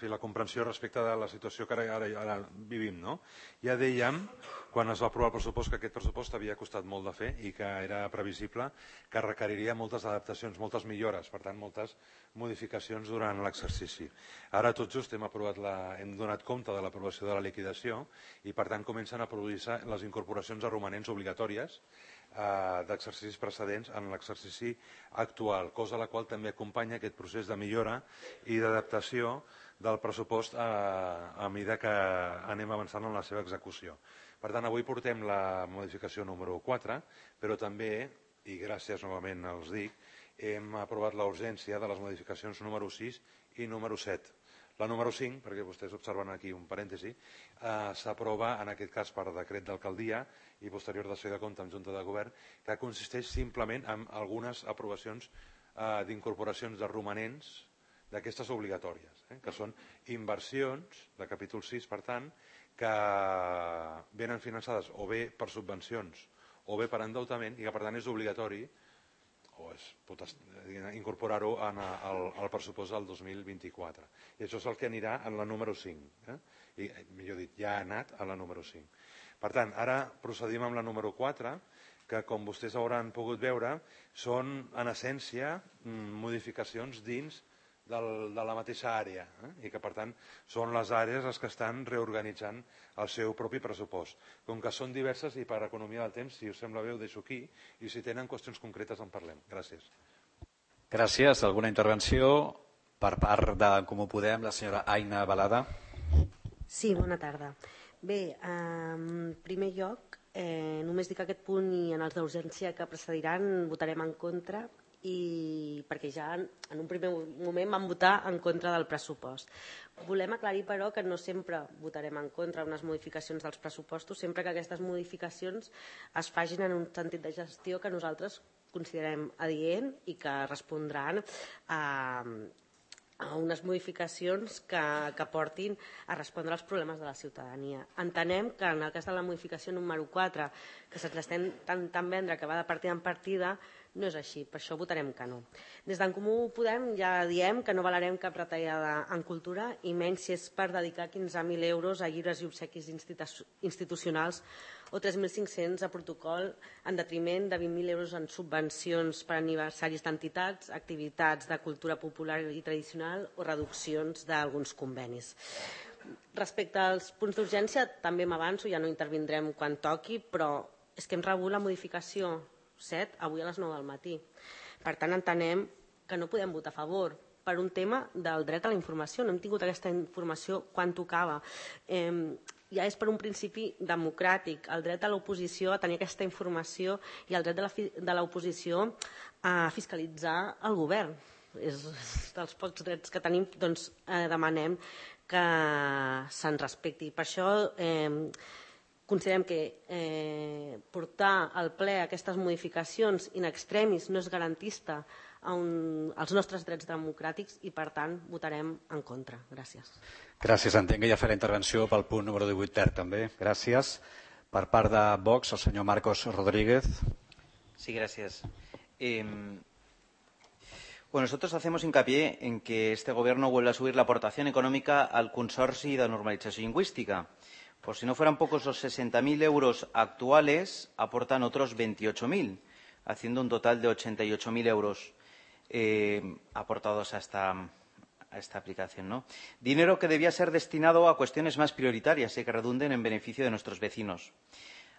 la comprensió respecte de la situació que ara vivim. Ja dèiem, quan es va aprovar el pressupost, que aquest pressupost havia costat molt de fer i que era previsible que requeriria moltes adaptacions, moltes millores, per tant, moltes modificacions durant l'exercici. Ara tot just hem donat compte de l'aprovació de la liquidació i, per tant, comencen a produir-se les incorporacions a romanents obligatòries d'exercicis precedents en l'exercici actual, cosa a la qual també acompanya aquest procés de millora i d'adaptació del pressupost a mesura que anem avançant en la seva execució. Per tant, avui portem la modificació número 4, però també, i gràcies novament els dic, hem aprovat la urgència de les modificacions número 6 i número 7. La número 5, perquè vostès observen aquí un parèntesi, s'aprova en aquest cas per decret d'alcaldia i posterior dació de compte en Junta de Govern, que consisteix simplement en algunes aprovacions d'incorporacions de romanents d'aquestes obligatòries, que són inversions de capítol 6, per tant, que venen finançades o bé per subvencions o bé per endeutament i que per tant és obligatori o es pot incorporar-ho al pressupost del 2024. I això és el que anirà en la número 5. I, millor dit, ja ha anat a la número 5. Per tant, ara procedim amb la número 4, que com vostès hauran pogut veure, són en essència modificacions dins de la mateixa àrea i que per tant són les àrees les que estan reorganitzant el seu propi pressupost. Com que són diverses i per economia del temps, si us sembla bé ho deixo aquí i si tenen qüestions concretes en parlem. Gràcies. Gràcies. Alguna intervenció per part de Comú Podem, la senyora Aina Balada? Sí, bona tarda. Bé, en primer lloc, només dic que aquest punt i en els d'urgència que precediran votarem en contra perquè ja en un primer moment vam votar en contra del pressupost. Volem aclarir, però, que no sempre votarem en contra d'unes modificacions dels pressupostos, sempre que aquestes modificacions es facin en un sentit de gestió que nosaltres considerem adient i que respondran a unes modificacions que portin a respondre als problemes de la ciutadania. Entenem que en el cas de la modificació número 4, que se'ns estem intentant vendre que va de partida en partida, no és així, per això votarem que no. Des d'en Comú Podem ja diem que no avalarem cap retallada en cultura i menys si és per dedicar 15.000 euros a llibres i obsequis institucionals o 3.500 a protocol en detriment de 20.000 euros en subvencions per aniversaris d'entitats, activitats de cultura popular i tradicional o reduccions d'alguns convenis. Respecte als punts d'urgència, també m'avanço, ja no intervindrem quan toqui, però és que hem rebut la modificació 7 avui a les 9 del matí. Per tant, entenem que no podem votar a favor per un tema del dret a la informació. No hem tingut aquesta informació quan tocava. Ja és per un principi democràtic, el dret a l'oposició a tenir aquesta informació i el dret de l'oposició a fiscalitzar el govern. És dels pocs drets que tenim, doncs demanem que se'n respecti. Per això considerem que portar al ple aquestes modificacions in extremis no és garantista als nostres drets democràtics i, per tant, votarem en contra. Gràcies. Gràcies. Entenc que ja farà intervenció pel punt número 18 també. Gràcies. Per part de Vox, el senyor Marcos Rodríguez. Sí, gracias. Nosotros hacemos hincapié en que este Gobierno vuelve a subir la aportación económica al Consorci de Normalització Lingüística. Por si no fueran pocos los 60.000 euros actuales, aportan otros 28.000, haciendo un total de 88.000 euros aportados a esta aplicación, ¿no? Dinero que debía ser destinado a cuestiones más prioritarias y que redunden en beneficio de nuestros vecinos.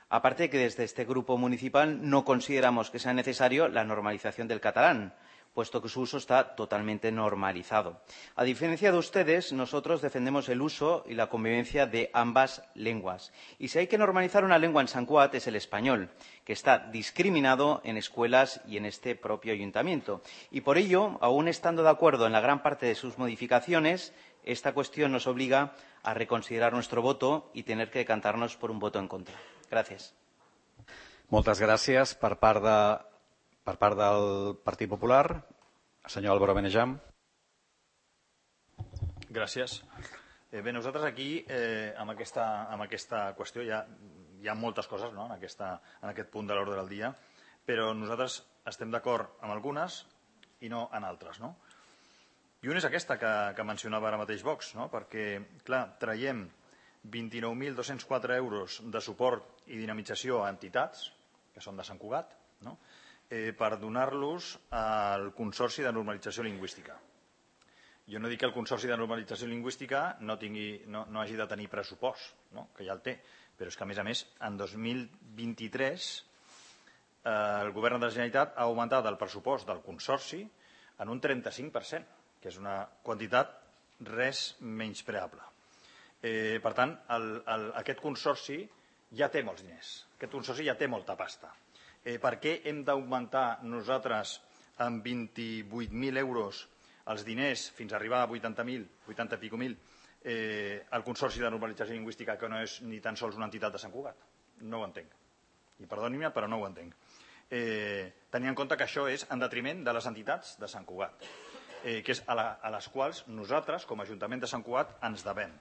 Aparte de que desde este grupo municipal no consideramos que sea necesario la normalización del catalán, puesto que su uso está totalmente normalizado. A diferencia de ustedes, nosotros defendemos el uso y la convivencia de ambas lenguas. Y si hay que normalizar una lengua en Sant Cugat es el español, que está discriminado en escuelas y en este propio ayuntamiento. Y por ello, aún estando de acuerdo en la gran parte de sus modificaciones, esta cuestión nos obliga a reconsiderar nuestro voto y tener que decantarnos por un voto en contra. Gràcies. Moltes gràcies. Per part del Partit Popular, el senyor Álvaro Benejam. Gràcies. Bé, nosaltres aquí, amb aquesta qüestió, hi ha moltes coses en aquest punt de l'ordre del dia, però nosaltres estem d'acord amb algunes i no en altres. I una és aquesta que mencionava ara mateix Vox, perquè, clar, traiem 29.204 euros de suport i dinamització a entitats, que són de Sant Cugat, per donar-los al Consorci de Normalització Lingüística. Jo no dic que el Consorci de Normalització Lingüística no hagi de tenir pressupost, que ja el té, però és que, a més, en 2023 el Govern de la Generalitat ha augmentat el pressupost del Consorci en un 35%, que és una quantitat res menyspreable. Per tant, aquest Consorci ja té molts diners, aquest Consorci ja té molta pasta. Per què hem d'augmentar nosaltres amb 28.000 euros els diners fins a arribar a 80.000, 80 i escaig mil, el Consorci de Normalització Lingüística, que no és ni tan sols una entitat de Sant Cugat? No ho entenc. I perdoni-me, però no ho entenc. Tenint en compte que això és en detriment de les entitats de Sant Cugat, que és a les quals nosaltres, com a Ajuntament de Sant Cugat, ens devem.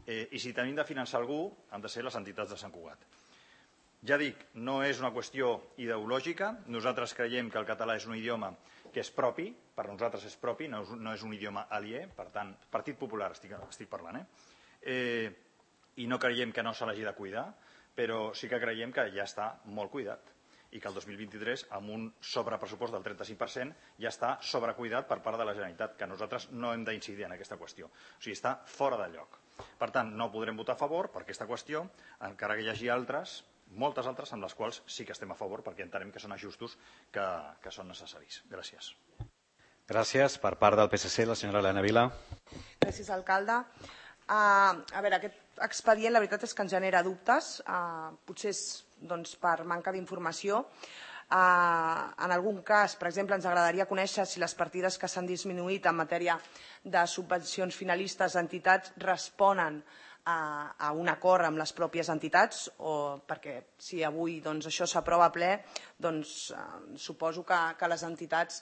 I si tenim de finançar algú, han de ser les entitats de Sant Cugat. Ja dic, no és una qüestió ideològica. Nosaltres creiem que el català és un idioma que és propi, per nosaltres és propi, no és un idioma aliè, per tant, Partit Popular estic parlant, i no creiem que no se l'hagi de cuidar, però sí que creiem que ja està molt cuidat i que el 2023, amb un sobrepressupost del 35%, ja està sobrecuidat per part de la Generalitat, que nosaltres no hem d'incidir en aquesta qüestió. O sigui, està fora de lloc. Per tant, no podrem votar a favor per aquesta qüestió, encara que hi hagi altres, moltes altres, amb les quals sí que estem a favor, perquè entenem que són ajustos que són necessaris. Gràcies. Gràcies. Per part del PSC, la senyora Elena Vila. Gràcies, alcalde. A veure, aquest expedient, la veritat és que ens genera dubtes, potser és per manca d'informació. En algun cas, per exemple, ens agradaria conèixer si les partides que s'han disminuït en matèria de subvencions finalistes a entitats responen a un acord amb les pròpies entitats, perquè si avui això s'aprova a ple, suposo que les entitats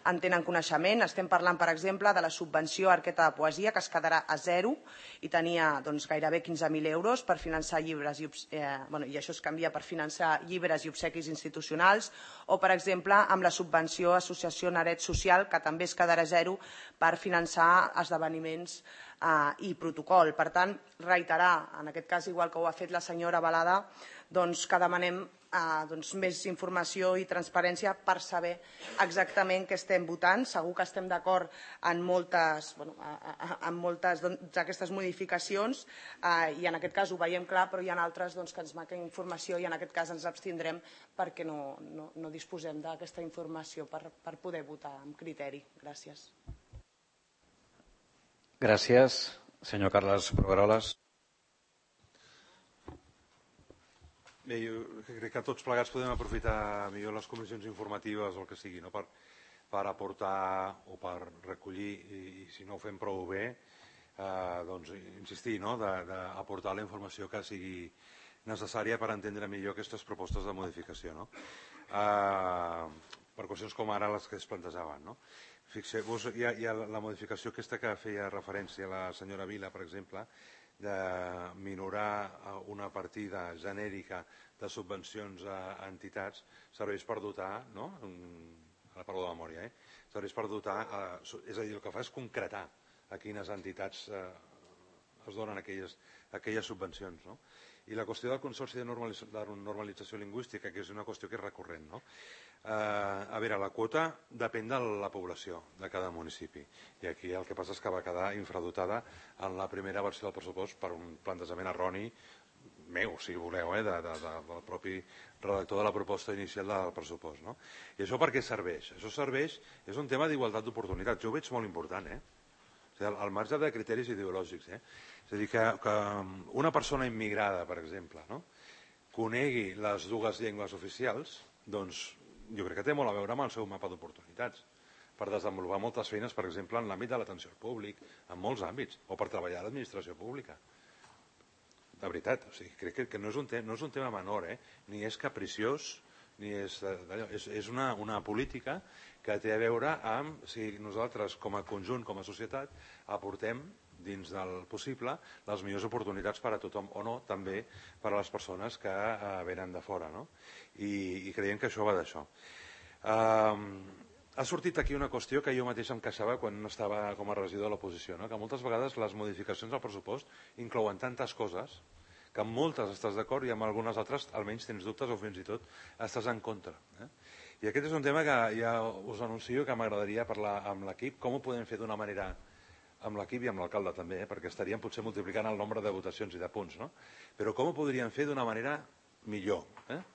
en tenen coneixement. Estem parlant, per exemple, de la subvenció Arqueta de Poesia, que es quedarà a zero i tenia gairebé 15.000 euros per finançar llibres, i això es canvia per finançar llibres i obsequis institucionals, o, per exemple, amb la subvenció Associació Naret Social, que també es quedarà a zero per finançar esdeveniments i protocol. Per tant, reiterar, en aquest cas, igual que ho ha fet la senyora Balada, que demanem més informació i transparència per saber exactament què estem votant. Segur que estem d'acord en moltes d'aquestes modificacions i en aquest cas ho veiem clar, però hi ha altres que ens manquen informació i en aquest cas ens abstindrem perquè no disposem d'aquesta informació per poder votar amb criteri. Gràcies. Gràcies. Senyor Carles Proveroles. Bé, jo crec que tots plegats podem aprofitar millor les comissions informatives o el que sigui, per aportar o per recollir, i si no ho fem prou bé, insistir, d'aportar la informació que sigui necessària per entendre millor aquestes propostes de modificació, per qüestions com ara les que es plantejaven. Fixeu-vos, hi ha la modificació aquesta que feia referència la senyora Vila, per exemple, de minorar una partida genèrica de subvencions a entitats, serveix per dotar, ara parlo de memòria, serveix per dotar, és a dir, el que fa és concretar a quines entitats es donen aquelles subvencions. I la qüestió del Consorci de Normalització Lingüística, que és una qüestió que és recurrent, a veure, la quota depèn de la població de cada municipi i aquí el que passa és que va quedar infradotada en la primera versió del pressupost per un plantejament erroni meu, si voleu, del propi redactor de la proposta inicial del pressupost. I això per què serveix? Això serveix, és un tema d'igualtat d'oportunitats, jo ho veig molt important, al marge de criteris ideològics. És a dir, que una persona immigrada, per exemple, conegui les dues llengües oficials, doncs jo crec que té molt a veure amb el seu mapa d'oportunitats per desenvolupar moltes feines, per exemple, en l'àmbit de l'atenció al públic, en molts àmbits, o per treballar a l'administració pública. De veritat, crec que no és un tema menor, ni és capriciós, ni és una política que té a veure amb si nosaltres, com a conjunt, com a societat, aportem dins del possible les millors oportunitats per a tothom o no, també per a les persones que venen de fora. I creiem que això va d'això. Ha sortit aquí una qüestió que jo mateix em queixava quan no estava com a regidor de l'oposició, no? Que moltes vegades les modificacions del pressupost inclouen tantes coses que amb moltes estàs d'acord i amb algunes altres almenys tens dubtes o fins i tot estàs en contra. I aquest és un tema que ja us anuncio que m'agradaria parlar amb l'equip, com ho podem fer d'una manera amb l'equip i amb l'alcalde també, perquè estaríem potser multiplicant el nombre de votacions i de punts, no? Però com ho podríem fer d'una manera millor,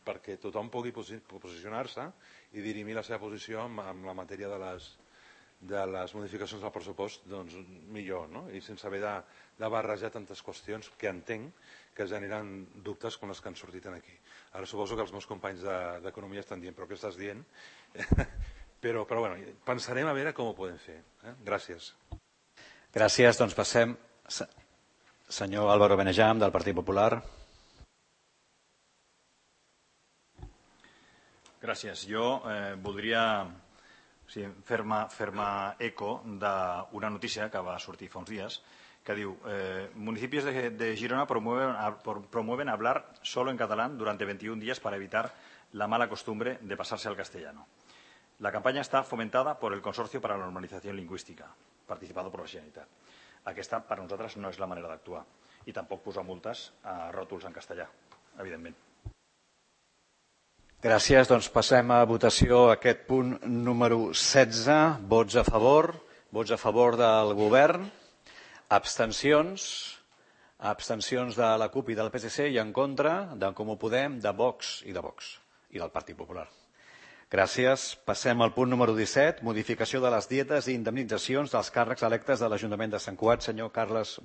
perquè tothom pugui posicionar-se i dirimir la seva posició amb la matèria de les modificacions del pressupost millor, no? I sense haver de barrejar tantes qüestions que entenc que generen dubtes com les que han sortit aquí. Ara suposo que els meus companys d'Economia estan dient però què estàs dient? Però bueno, pensarem a veure com ho podem fer. Gràcies. Gràcies, doncs passem. Senyor Álvaro Benejam, del Partit Popular. Gràcies. Jo voldria fer-me eco d'una notícia que va sortir fa uns dies que diu municipios de Girona promueven hablar solo en catalán durante 21 días para evitar la mala costumbre de pasarse al castellano. La campaña está fomentada por el Consorcio para la Normalización Lingüística, participado por la Generalitat. Aquesta, per nosaltres, no és la manera d'actuar. I tampoc posar multes a ròtols en castellà, evidentment. Gràcies. Doncs passem a votació aquest punt número 16. Vots a favor del govern. Abstencions de la CUP i del PSC i en contra d'en Comú Podem, de Vox i del Partit Popular. Gràcies. Passem al punt número 17, modificació de les dietes i indemnitzacions dels càrrecs electes de l'Ajuntament de Sant Cugat. Senyor Carles